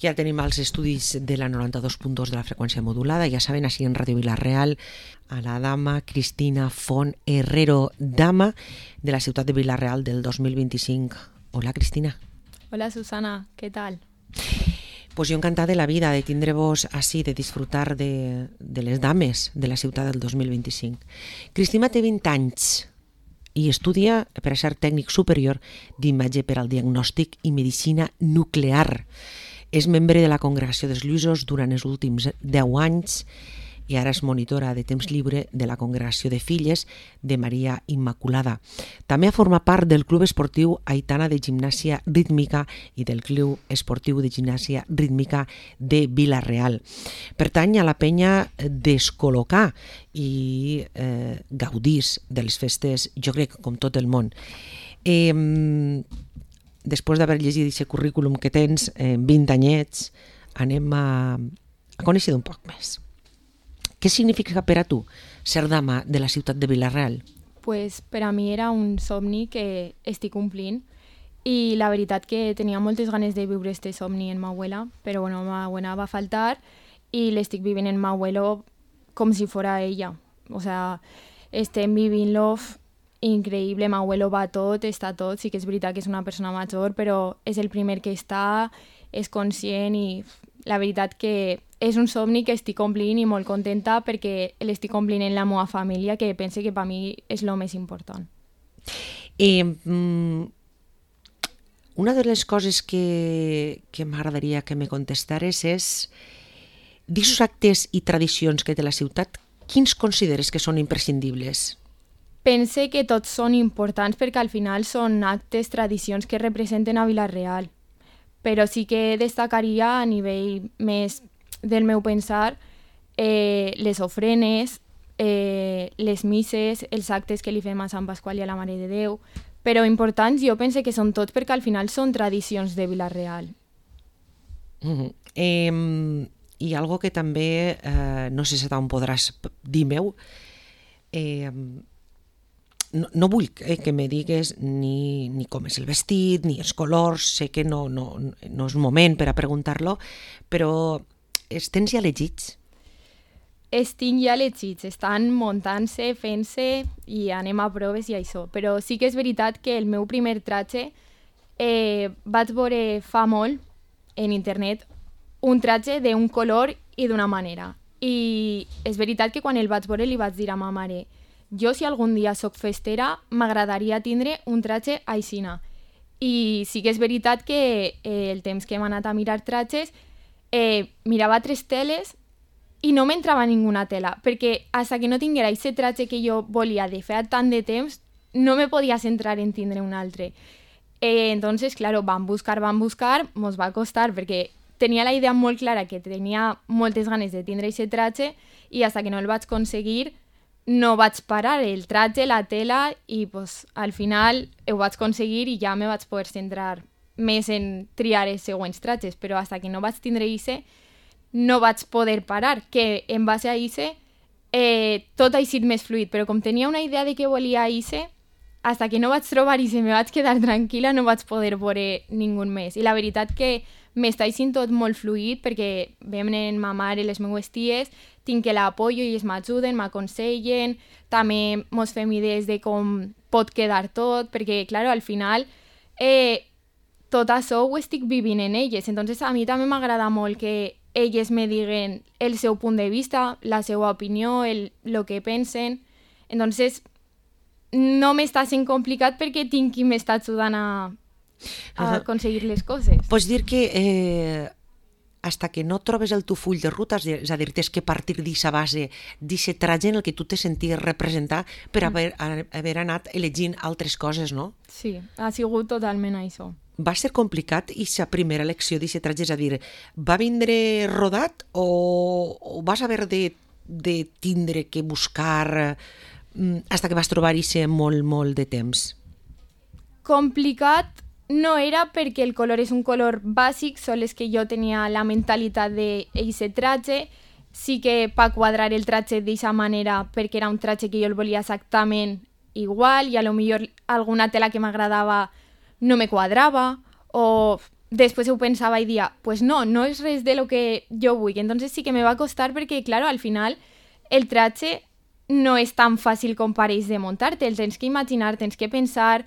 que ja tenim els estudis de la 92.2 de la freqüència modulada, ja saben, així en Ràdio Vila-real, a la dama Cristina Font Herrero, dama de la ciutat de Vila-real del 2025. Hola, Cristina. Hola, Susana, què tal? Pues jo encantada de la vida de tindre-vos així, de disfrutar de les dames de la ciutat del 2025. Cristina té 20 anys i estudia per a ser tècnic superior d'imatge per al diagnòstic i medicina nuclear. És membre de la Congregació dels Lluïsos durant els últims 10 anys i ara és monitora de temps lliure de la Congregació de Filles de Maria Immaculada. També ha format part del Club Esportiu Aitana de Gimnàsia Rítmica i del Club Esportiu de Gimnàsia Rítmica de Vila-real. Pertany a la penya Descol·locar i gaudís de les festes, jo crec, com tot el món. Després d'haver llegit aquest currículum que tens, 20 anyets, anem a conèixer un poc més. Què significa per a tu ser dama de la ciutat de Vila-real? Pues per a mi era un somni que estic complint i la veritat que tenia moltes ganes de viure este somni en ma abuela, però bueno, ma abuela va faltar i l'estic vivint en ma abuelo com si fora ella. O sea, estem vivint-lo increïble, ma abuelo va tot, està tot, sí que és veritat que és una persona major, però és el primer que està, és conscient i la veritat que és un somni que estic complint i molt contenta perquè l'estic complint en la meva família, que pense que per mi és el més important. Una de les coses que m'agradaria que me contestares és d'aquests actes i tradicions que té la ciutat, quins consideres que són imprescindibles? Pense que tots són importants perquè al final són actes, tradicions que representen a Vila-real. Però sí que destacaria a nivell més del meu pensar les ofrenes, les misses, els actes que li fem a Sant Pasqual i a la Mare de Déu, però importants jo pense que són tots perquè al final són tradicions de Vila-real. I algo que també, no sé si t'ho podràs dir meu, no vull que me digues ni com és el vestit, ni els colors, sé que no és moment per a preguntar-lo, però els tens ja elegits? Els tinc ja elegits, estan muntant-se, fent-se i anem a proves i això, però sí que és veritat que el meu primer tratge vaig veure fa molt en internet un tratge d'un color i d'una manera. I és veritat que quan el vaig veure li vaig dir a ma mare: jo, si algun dia soc festera, m'agradaria tindre un tratge aixina. I sí que és veritat que el temps que hem anat a mirar tratges, mirava 3 teles i no m'entrava ninguna tela, perquè fins que no tinguera aquest tratge que jo volia de fer tant de temps, no me podia centrar en tindre un altre. Entonces, claro, vam buscar, mos va costar, perquè tenia la idea molt clara que tenia moltes ganes de tindre aquest tratge i fins que no el vaig aconseguir no vaig parar el tratge, la tela i pues, al final ho vaig aconseguir i ja me vaig poder centrar més en triar els següents tratges, però fins que no vaig tindre ixe no vaig poder parar, que en base a ixe tot ha sigut més fluid, però com tenia una idea de què volia ixe, fins que no vaig trobar ixe me vaig quedar tranquil·la, no vaig poder veure ningú més. I la veritat que m'està sent tot molt fluid perquè venen ma mare i les meues ties, tinc que l'apoyo i ells m'ajuden, m'aconsellen, també mos fem idees de com pot quedar tot, perquè, clar, al final tot això ho estic vivint en elles, entonces a mi també m'agrada molt que elles me diguen el seu punt de vista, la seva opinió, el que pensen, entonces no m'està sent complicat perquè tinc qui m'està ajudant a aconseguir les coses. Pots dir que hasta que no trobes el teu full de ruta, és a dir, tens que partir d'aquesta base, d'aquest tratge en el que tu te senties representar per haver anat elegint altres coses, no? Sí, ha sigut totalment això. Va ser complicat aquesta primera elecció d'aquest tratge? És a dir, va vindre rodat o vas haver de tindre que buscar fins que vas trobar aquest molt de temps? Complicat no era perquè el color és un color bàsic, sols que jo tenia la mentalitat d'aquest tratge, sí que per quadrar el tratge d'aquesta manera perquè era un tratge que jo el volia exactament igual i a lo millor alguna tela que m'agradava no me quadrava o després ho pensava i dia, pues no és res de lo que jo vull. Entonces sí que me va costar perquè, claro, al final el traje no és tan fàcil com pareix de muntar, te'l tens que imaginar, tens que pensar,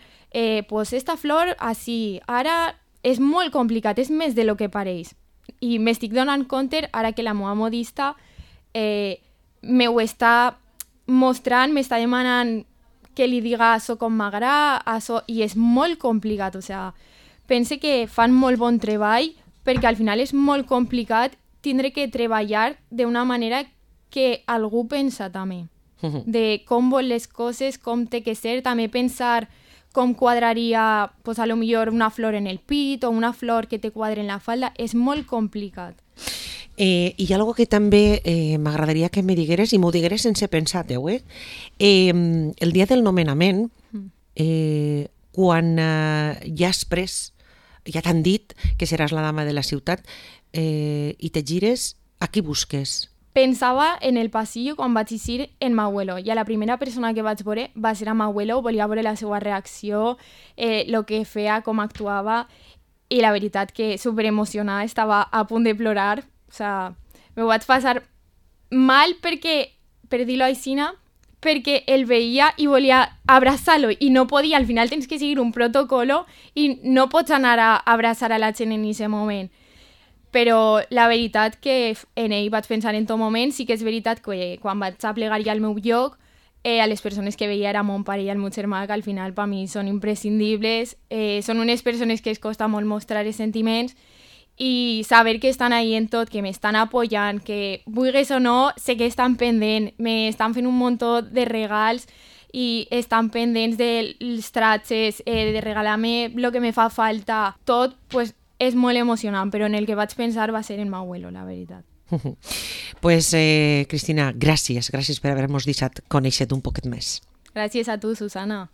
pues esta flor així, ara és molt complicat, és més de lo que pareix. I m'estic donant compte ara que la meva modista me ho està mostrant, m'està demanant que li diga això com m'agrada, això, i és molt complicat, o sigui, pense que fan molt bon treball perquè al final és molt complicat tindre que treballar d'una manera que algú pensa també, de com vol les coses, com té que ser, també pensar com quadraria, pues, a lo millor una flor en el pit o una flor que te quadre en la falda, és molt complicat. Hi ha algo que també m'agradaria que me digueres, i m'ho digueres sense pensar-ho, el dia del nomenament, quan ja has pres, ja t'han dit que seràs la dama de la ciutat, i te gires, a qui busques? Pensava en el passillo quan vaig eixir en m'abuelo, i a la primera persona que vaig veure va ser a m'abuelo, volia veure la seva reacció, el que feia, com actuava, i la veritat que superemocionada, estava a punt de plorar, o sigui, me ho vaig passar mal perquè, per dir-lo així, perquè el veia i volia abraçar-lo i no podia, al final tens que seguir un protocolo i no pots anar a abraçar a la gent en aquest moment. Però la veritat que en ell vaig pensar en tot moment, sí que és veritat que quan vaig a plegar ja al meu lloc, a les persones que veia era mon pare i el meu germà, que al final per mi són imprescindibles, són unes persones que es costa molt mostrar els sentiments i saber que estan ahí en tot, que m'estan apoyant, que vulguis o no, sé que estan pendents, m'estan fent un muntó de regals i estan pendents dels trajes, de regalar-me el que me fa falta, tot, pues, és molt emocionant, però en el que vaig pensar va ser en m'abuelo, la veritat. Pues, Cristina, gràcies per haver-nos deixat conèixer-te un poquet més. Gràcies a tu, Susana.